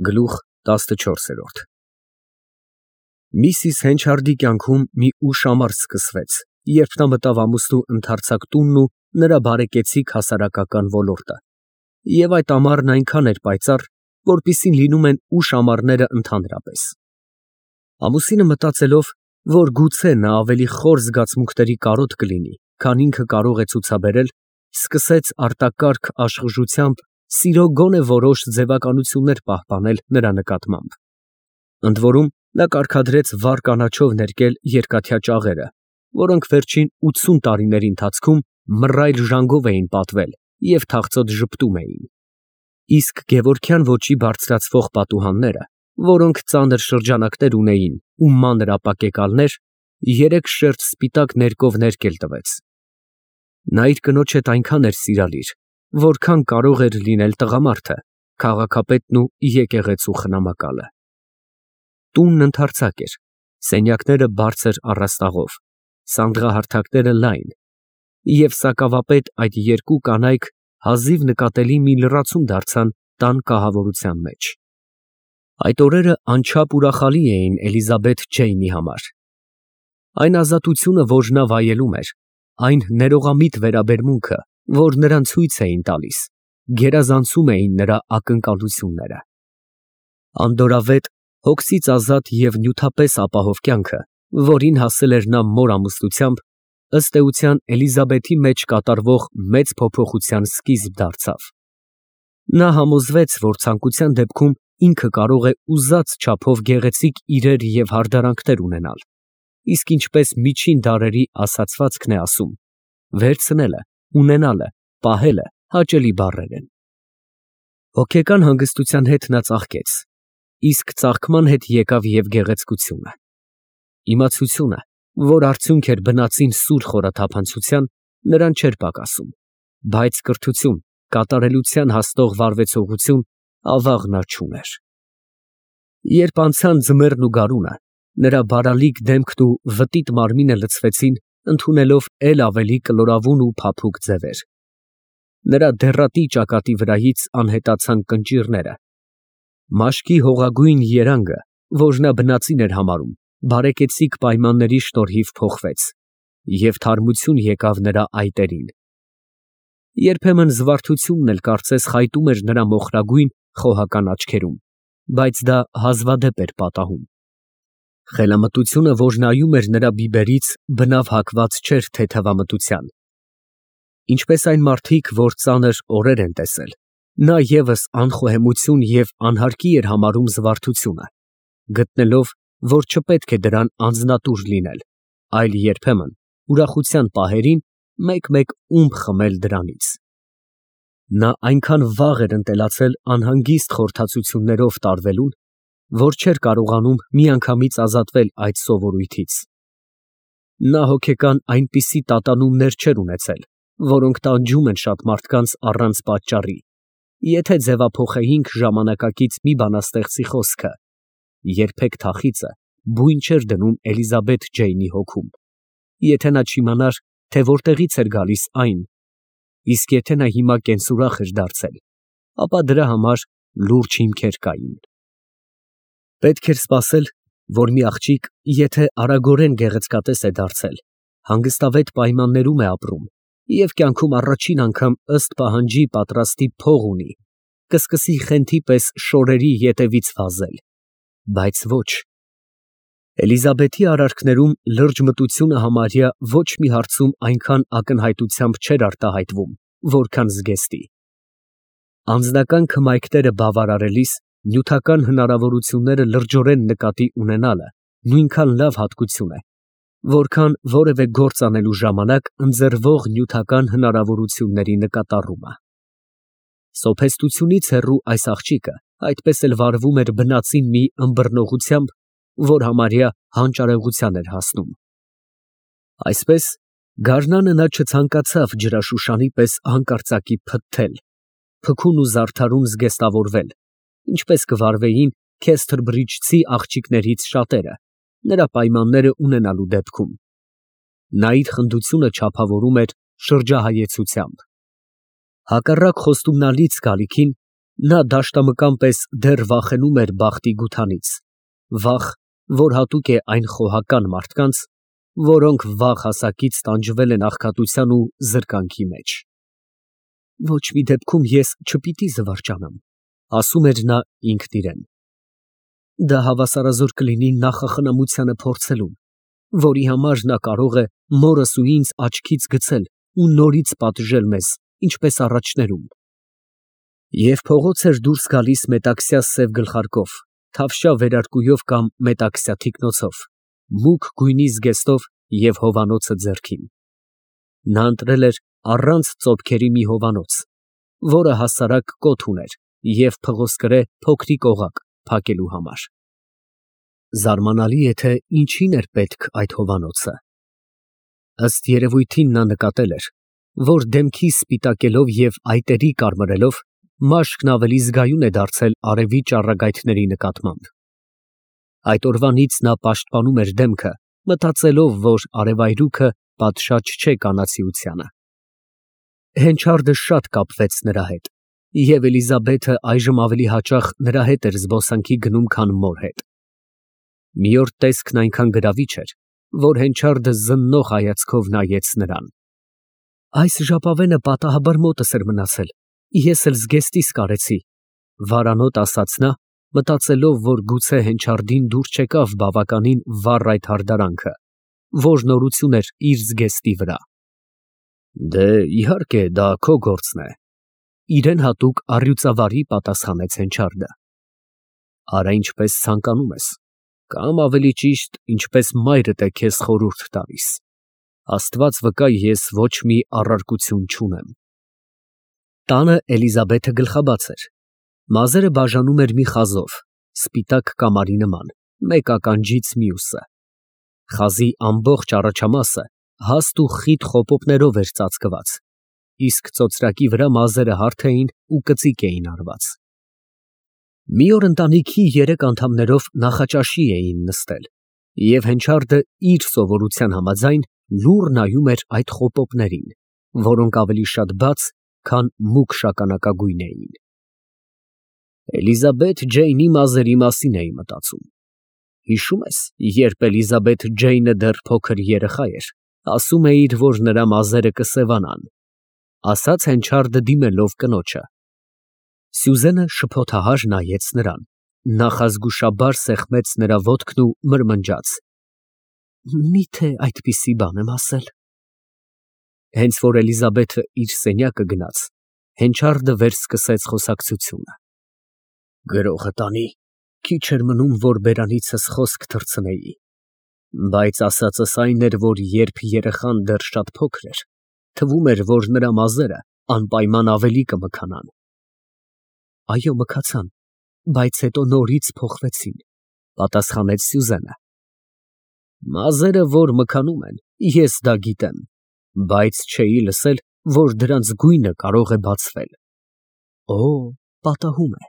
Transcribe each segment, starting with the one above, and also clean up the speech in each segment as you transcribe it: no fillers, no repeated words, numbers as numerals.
Գլուխ 14 Միսիս Հենչարդի կյանքում մի ուշ ամառ սկսվեց, երբ նա մտավ ամուսնու ընդարձակ տունն ու նրա բարեկեցիկ հասարակական ոլորտը, և այդ ամառն այնքան էր պայծառ, որպիսին լինում են ուշ ամառները ընդհանրապես։ Ամուսինը մտածելով, որ գուցե նա ավելի խոր զգացմունքների կարոտ կլինի, քան ինքը կարող է ցուցաբերել, սկսեց արտակարգ աշխուժությամբ սիրո գոնե որոշ ձևականություններ պահպանել նրա նկատմամբ։ Ընդ որում, նա կարգադրեց վառ կանաչով ներկել երկաթյա ճաղերը, որոնք վերջին 80 տարիների ընթացքում մռայլ ժանգով էին պատվել և թախծոտ ժպտում էին։ Իսկ գևորգյան ոճի բարձրացվող պատուհանները, որոնք ծանր շրջանակներ ունեին ու մանր ապակեկալներ, 3 շերտ սպիտակ ներկով ներկել տվեց։ Նա իր կնոջ հետ այնքան էր սիրալիր, որքան կարող էր լինել տղամարդը, քաղաքապետն ու եկեղեցու խնամակալը։ Տունն ընդարձակ էր, սենյակները բարձր առաստաղով, սանդղահարթակները լայն, և սակավապետ այդ երկու կանայք հազիվ նկատելի մի լրացում դարձան տան կահավորության մեջ։ Այդ օրերը անչափ ուրախալի էին Էլիզաբեթ Ջեյնի համար։ Այն ազատությունը, որ նա վայելում էր, այն ներողամիտ վերաբերմունքը, որ նրան ցույց էին տալիս, գերազանցում էին նրա ակնկալությունները։ Անդորրավետ, հոգսից ազատ և նյութապես ապահով կյանքը, որին հասել էր նա մոր ամուսնությամբ, ըստ էության Էլիզաբեթի մեջ կատարվող մեծ փոփոխության սկիզբ դարձավ։ Նա համոզվեց, որ ցանկության դեպքում ինքը կարող է ուզած չափով գեղեցիկ իրեր և հարդարանքներ ունենալ, իսկ ինչպես միջին դարերի ասացվածքն է ասում, վերցնելը, ունենալը, պահելը հաճելի բառեր են։ Հոգեկան հանգստության հետ նա ծաղկեց, իսկ ծաղկման հետ եկավ և գեղեցկությունը։ Իմացությունը, որ արդյունք էր բնածին սուր խորաթափանցության, նրան չէր պակասում, բայց կրթություն, կատարելության հասնող վարվեցողություն ավաղ նա չուներ։ Երբ անցան ձմեռն ու գարունը, նրա բարալիկ դեմքն ու վտիտ մարմինը լցվեցին, ընդունելով էլ ավելի կլորավուն ու փափուկ ձևեր։ Նրա դեղատի ճակատի վրայից անհետացան կնճիռները։ Մաշկի հողագույն երանգը, որ նա բնածին էր համարում, բարեկեցիկ պայմանների շնորհիվ փոխվեց, և թարմություն եկավ նրա այտերին։ Երբեմն զվարթությունն էլ կարծես խայտում էր նրա մոխրագույն, խոհական աչքերում, բայց դա հազվադեպ էր պատահում։ Խելամտությունը, որ նայում էր նրա բիբերից, բնավ հակված չէր թեթևամտության։ Ինչպես այն մարդիկ, որ ծանր օրեր են տեսել, նա ևս անխոհեմություն և անհարկի էր համարում զվարթությունը, գտնելով, որ չպետք է դրան անձնատուր լինել, այլ երբեմն ուրախության պահերին մեկ-մեկ ումպ խմել դրանից։ Նա այնքան վաղ էր ընտելացել անհանգիստ խորհրդածություններով տարվելուն, որ չէր կարողանում միանգամից ազատվել այդ սովորույթից։ Նա հոգեկան այնպիսի տատանումներ չէր ունեցել, որոնք տանջում են շատ մարդկանց առանց պատճառի, եթե ձևափոխեինք ժամանակակից մի բանաստեղծի խոսքը. երբեք թախիծը բույն չէր դնում Էլիզաբեթ Ջեյնի հոգում, եթե նա չիմանար, թե որտեղից էր գալիս այն, իսկ եթե նա հիմա կենսուրախ էր դարձել, ապա դրա համար լուրջ հիմքեր կային։ Պետք էր սպասել, որ մի աղջիկ, եթե արագորեն գեղեցկատես է դարձել, հանգստավետ պայմաններում է ապրում և կյանքում առաջին անգամ ըստ պահանջի պատրաստի փող ունի, կսկսի խենթի պես շորերի ետևից վազել, բայց ոչ։ Էլիզաբեթի արարքներում լրջմտությունը համարյա ոչ մի հարցում այնքան ակնհայտությամբ չէր արտահայտվում, որքան զգեստի։ Անձնական քմայքները բավարարելիս նյութական հնարավորությունները լրջորեն նկատի ունենալը նույնքան լավ հատկություն է, որքան որևէ գործ անելու ժամանակ ընձեռվող նյութական հնարավորությունների նկատառումը։ Սոփեստությունից հեռու այս աղջիկը այդպես էլ վարվում էր բնածին մի ըմբռնողությամբ, որ համարյա հանճարեղության էր հասնում։ Այսպես, գարնանը նա չցանկացավ ջրաշուշանի պես հանկարծակի փթթել, փքուն ու զարդարուն զգեստավորվել, ինչպես կվարվեին Քեսթրբրիջցի աղջիկներից շատերը, նրա պայմանները ունենալու դեպքում։ Նա իր խնդությունը չափավորում էր շրջահայեցությամբ։ Հակառակ խոստումնալից գալիքին, Նա դաշտամկան պես դեռ վախենում էր բախտի գութանից, վախ, որ հատուկ է այն խոհական մարդկանց, որոնք վաղ հասակից տանջվել են աղքատության ու զրկանքի մեջ։ Ոչ մի դեպքում ես չպիտի զվարճանամ, ասում էր նա ինքն իրեն։ Դա հավասարազոր կլինի նախախնամությանը փորձելուն, որի համար նա կարող է մորս ու ինձ աչքից գցել ու նորից պատժել մեզ, ինչպես առաջներում։ Եվ փողոց էր դուրս գալիս մետաքսյա սև գլխարկով, թավշյա վերարկուով կամ մետաքսյա թիկնոցով, մուգ գույնի զգեստով և հովանոցը ձեռքին։ Նա ընտրել էր առանց ծոփքերի մի հովանոց, որը հասարակ կոթ ուներ և փղոսկրե փոքրիկ օղակ փակելու համար։ Զարմանալի է, թե ինչին էր պետք այդ հովանոցը։ Ըստ երևույթին նա նկատել էր, որ դեմքի սպիտակելով և այտերի կարմրելով մաշկն ավելի զգայուն է դարձել արևի ճառագայթների նկատմամբ։ Այդ օրվանից նա պաշտպանում էր դեմքը, մտածելով, որ արևայրուքը պատշաճ չէ կանացիությանը։ Հենչարդը շատ կապվեց նրա հետ, և Էլիզաբեթը այժմ ավելի հաճախ նրա հետ էր զբոսանքի գնում, քան մոր հետ։ Մի օր տեսքն այնքան գրավիչ էր, որ Հենչարդը զննող հայացքով նայեց նրան։ Այս ժապավենը պատահաբար մոտս էր մնացել, ես էլ զգեստիս կարեցի, վարանոտ ասաց նա, մտածելով, որ գուցե Հենչարդին դուր չեկավ բավականին վառ այդ հարդարանքը, որ նորություն էր իր զգեստի վրա։ Դե, իհարկե, դա քո գործն է, իրեն հատուկ առյուծավարի պատասխանեց Հենչարդը։ Արա ինչպես ցանկանում ես, կամ ավելի ճիշտ, ինչպես մայրդ է քեզ խորհուրդ տալիս։ Աստված վկա, ես ոչ մի առարկություն չունեմ։ Տանը Էլիզաբեթը գլխաբաց էր։ Մազերը բաժանում էր մի խազով, սպիտակ կամարի նման, մեկ ականջից մյուսը։ Խազի ամբողջ առաջամասը հաստ ու խիտ խոպոպներով էր ծածկված, իսկ ծոծրակի վրա մազերը հարթ էին ու կծիկ էին արված։ Մի օր ընտանիքի 3 անդամներով նախաճաշի էին նստել, և Հենչարդը իր սովորության համաձայն լուռ նայում էր այդ խոպոպներին, որոնք ավելի շատ բաց, քան մուգ շագանակագույն էին։ Էլիզաբեթ Ջեյնի մազերի մասին էի մտածում։ Հիշում ես, երբ Էլիզաբեթ Ջեյնը դեռ փոքր երեխա էր, ասում էիր, որ նրա մազերը կսևանան, ասաց Հենչարդը դիմելով կնոջը։ Սյուզենը շփոթահար նայեց նրան, նախազգուշաբար սեղմեց նրա ոտքն ու մրմնջաց. Միթե այդպիսի բան եմ ասել։ Հենց որ Էլիզաբեթը իր սենյակը գնաց, Հենչարդը վերսկսեց խոսակցությունը։ Գրողը տանի, քիչ էր մնում, որ բերանիցս խոսք թռցնեի, բայց ասածս այն էր, որ երբ երեխան դեռ շատ փոքր էր, թվում էր, որ նրա մազերը անպայման ավելի կմքանան։ Այո, մքացան, բայց հետո նորից փոխվեցին, պատասխանեց Սյուզենը։ Մազերը, որ մքանում են, ես դա գիտեմ, բայց չէի լսել, որ դրանց գույնը կարող է բացվել։ Օ, պատահում է։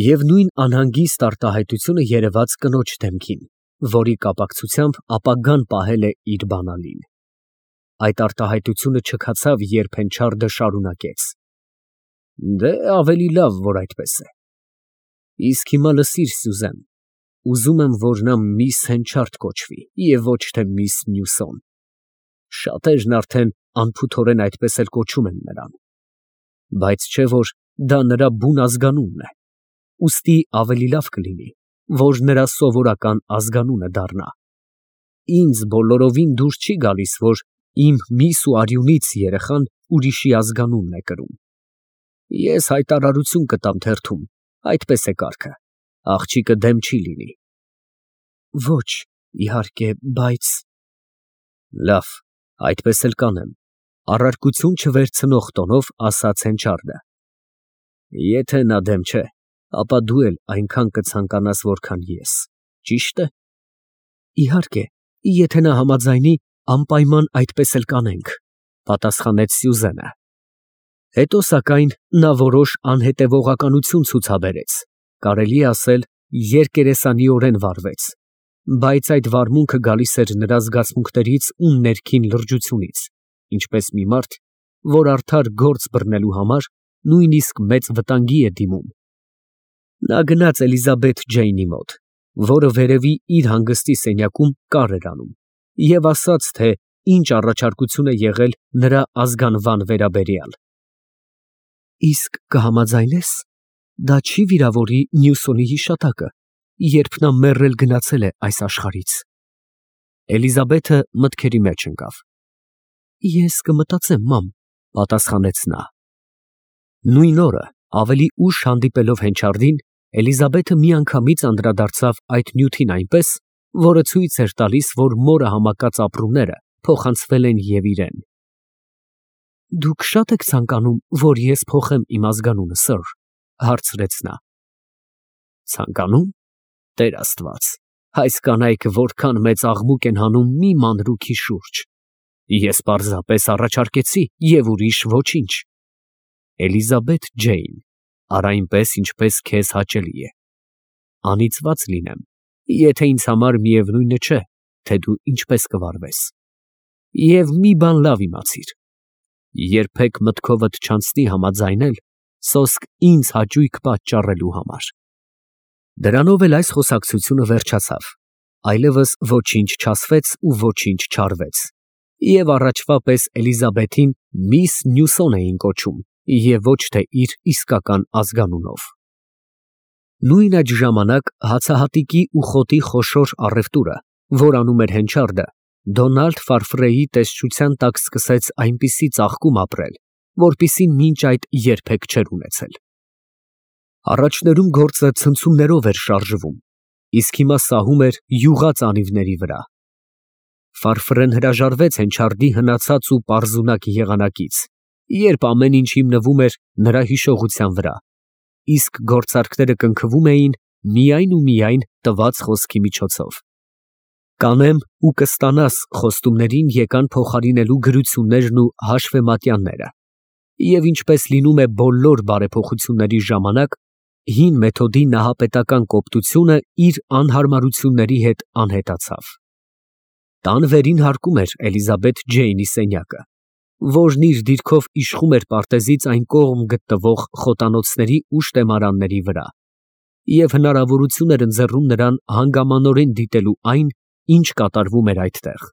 Եվ նույն անհանգիստ արտահայտությունը երևաց կնոջ դեմքին, որի կապակցությամբ ապագան պահել է իր բանալին։ Այդ արտահայտությունը չքացավ, երբ Հենչարդը շարունակեց. Դե ավելի լավ, որ այդպես է։ Իսկ հիմա լսիր, Սյուզեն, ուզում եմ, որ նա միս Հենչարդ կոչվի և ոչ թե միս Նյուսոն։ Շատերն արդեն անփութորեն այդպես էլ կոչում են նրան, բայց չէ որ դա նրա բուն ազգանունն է, ուստի ավելի լավ կլինի, որ նրա սովորական ազգանունը դառնա։ Ինձ բոլորովին դուր չի գալիս, որ իմ միս ու արյունից երեխան ուրիշի ազգանունն է կրում։ Ես հայտարարություն կտամ թերթում, այդպես է կարգը, աղջիկը դեմ չի լինի։ Ոչ, իհարկե, բայց… Լավ, այդպես էլ կանեմ, առարկություն չվերցնող տոնով ասաց Հենչարդը։ Եթե նա դեմ չէ, ապա դու էլ այնքան կցանկանաս, որքան ես, ճի՞շտ է։ Իհարկե, եթե նա համաձայնի, անպայման այդպես էլ կանենք, պատասխանեց Սյուզենը։ Հետո, սակայն, նա որոշ անհետևողականություն ցուցաբերեց, կարելի է ասել, երկերեսանիորեն վարվեց, բայց այդ վարմունքը գալիս էր նրա զգացմունքներից ու ներքին լրջությունից, ինչպես մի մարդ, որ արդար գործ բռնելու համար նույնիսկ մեծ վտանգի է դիմում։ Նա գնաց Էլիզաբեթ Ջեյնի մոտ, որը վերևի իր հանգստի սենյակում կար էր անում, և ասաց, թե ինչ առաջարկություն է եղել նրա ազգանվան վերաբերյալ։ Իսկ կհամաձայնես, դա չի վիրավորի Նյուսոնի հիշատակը, երբ նա մեռել գնացել է այս աշխարհից։ Էլիզաբեթը մտքերի մեջ ընկավ։ Ես կմտածեմ, մամ, պատասխանեց նա։ Նույն օրը, ավելի ուշ հանդիպելով Հենչարդին, Էլիզաբեթը միանգամից անդրադարձավ այդ նյութին այնպես, որը ցույց էր տալիս, որ մորը համակած ապրումները փոխանցվել են և իրեն։ Դուք շատ եք ցանկանում, որ ես փոխեմ իմ ազգանունը, սըր, հարցրեց նա։ Ցանկանում, Տեր Աստված, այս կանայք որքան մեծ աղմուկ են հանում մի մանրուքի շուրջ։ Ես պարզապես առաջարկեցի և ուրիշ ոչինչ։ Էլիզաբեթ Ջեյն, արա այնպես, ինչպես քեզ հաճելի է։ Անիծված լինեմ, եթե ինձ համար միևնույնը չէ, թե դու ինչպես կվարվես։ Եվ մի բան լավ իմացիր. երբեք մտքովդ չանցնի համաձայնել սոսկ ինձ հաճույք պատճառելու համար։ Դրանով էլ այս խոսակցությունը վերջացավ, այլևս ոչինչ չասվեց ու ոչինչ չարվեց, և առաջվա պես Էլիզաբեթին միս Նյուսոն էին կոչում, և ոչ թե իր իսկական ազգանունով։ Նույն այդ ժամանակ հացահատիկի ու խոտի խոշոր առևտուրը, որ անում էր Հենչարդը, Դոնալդ Ֆարֆրեի տեսչության տակ սկսեց այնպիսի ծաղկում ապրել, որպիսի մինչ այդ երբեք չէր ունեցել։ Առաջներում գործը ցնցումներով էր շարժվում, իսկ հիմա սահում էր յուղած անիվների վրա։ Ֆարֆրեն հրաժարվեց Հենչարդի հնացած ու պարզունակ եղանակից, երբ ամեն ինչ հիմնվում էր նրա հիշողության վրա, իսկ գործարքները կնքվում էին միայն ու միայն տված խոսքի միջոցով։ Կանեմ ու կստանաս խոստումներին եկան փոխարինելու գրություններն ու հաշվեմատյանները, և ինչպես լինում է բոլոր բարեփոխությունների ժամանակ, հին մեթոդի նահապետական կոպտությունը իր անհարմարությունների հետ անհետացավ։ Տան վերին հարկում էր Էլիզաբեթ Ջեյնի սենյակը, որն իր դիրքով իշխում էր պարտեզից այն կողմ գտնվող խոտանոցների ու շտեմարանների վրա, և հնարավորություն էր ընձեռում նրան հանգամանորեն դիտելու այն, ինչ կատարվում էր այդտեղ։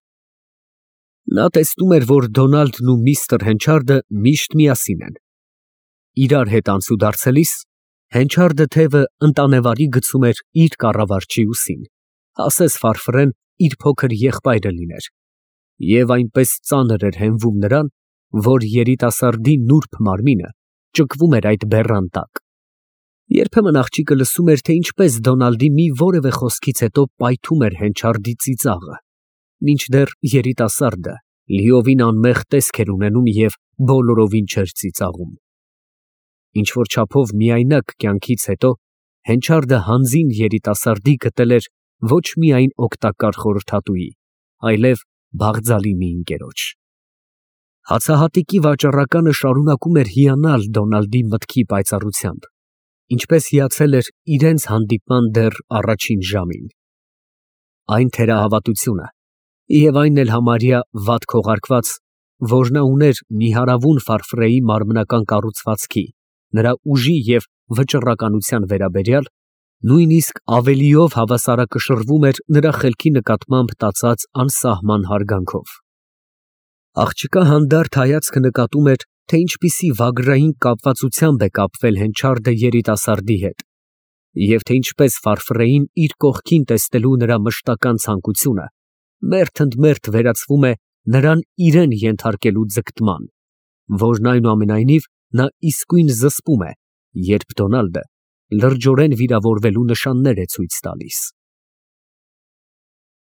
Նա տեսնում էր, որ Դոնալդն ու միստր Հենչարդը միշտ միասին են։ Իրար հետ անցուդարձելիս Հենչարդը թևը ընտանեվարի գցում էր իր կառավարչի ուսին, ասես Ֆարֆրեն իր փոքր եղբայրը լիներ, և այնպես ծանր էր հենվում նրան, որ երիտասարդի նուրբ մարմինը ճկվում էր այդ բեռան տակ։ Երբեմն աղջիկը լսում էր, թե ինչպես Դոնալդի մի որևէ խոսքից հետո պայթում էր Հենչարդի ծիծաղը, մինչդեռ երիտասարդը լիովին անմեղ տեսք էր ունենում և բոլորովին չէր ծիծաղում։ Ինչ-որ չափով միայնակ կյանքից հետո Հենչարդը հանձին երիտասարդի գտել էր ոչ միայն օգտակար խորհրդատուի, այլև բաղձալի մի ընկերոջ։ Հացահատիկի վաճառականը շարունակում էր հիանալ Դոնալդի մտքի պայծառությամբ, ինչպես հիացել էր իրենց հանդիպման դեռ առաջին ժամին։ Այն թերահավատությունը և այն էլ համարյա վատ քողարկված, որ նա ուներ նիհարավուն Ֆարֆրեի մարմնական կառուցվածքի, նրա ուժի և վճռականության վերաբերյալ, նույնիսկ ավելիով հավասարակշռվում էր նրա խելքի նկատմամբ տածած անսահման հարգանքով։ Աղջկա հանդարտ հայացքը նկատում էր, թե ինչպիսի վագրային կապվածությամբ է կապվել Հենչարդը երիտասարդի հետ, և թե ինչպես Ֆարֆրեին իր կողքին տեսնելու նրա մշտական ցանկությունը մերթ ընդ մերթ վերածվում է նրան իրեն ենթարկելու ձգտման, որն այնուամենայնիվ նա իսկույն զսպում է, երբ Դոնալդը լրջորեն վիրավորվելու նշաններ է ցույց տալիս։